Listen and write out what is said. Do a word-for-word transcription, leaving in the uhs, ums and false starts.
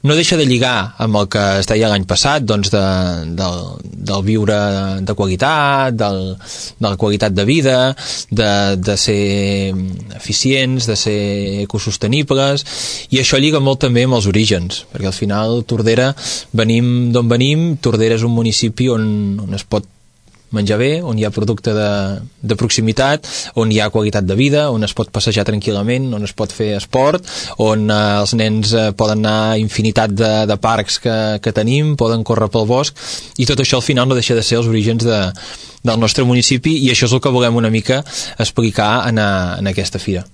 no deixa de lligar amb el que es deia l'any passat, doncs de, del, del viure de qualitat, del, de la qualitat de vida, de, de ser eficients, de ser ecosostenibles, i això lliga molt també amb els orígens, perquè al final Tordera, venim d'on venim, Tordera és un municipi on, on es pot menjar bé, on hi ha producte de, de proximitat, on hi ha qualitat de vida, on es pot passejar tranquil·lament, on es pot fer esport, on eh, els nens eh, poden anar a infinitat de, de parcs que, que tenim, poden córrer pel bosc, i tot això al final no deixa de ser els orígens de, del nostre municipi, i això és el que volem una mica explicar en, a, en aquesta fira.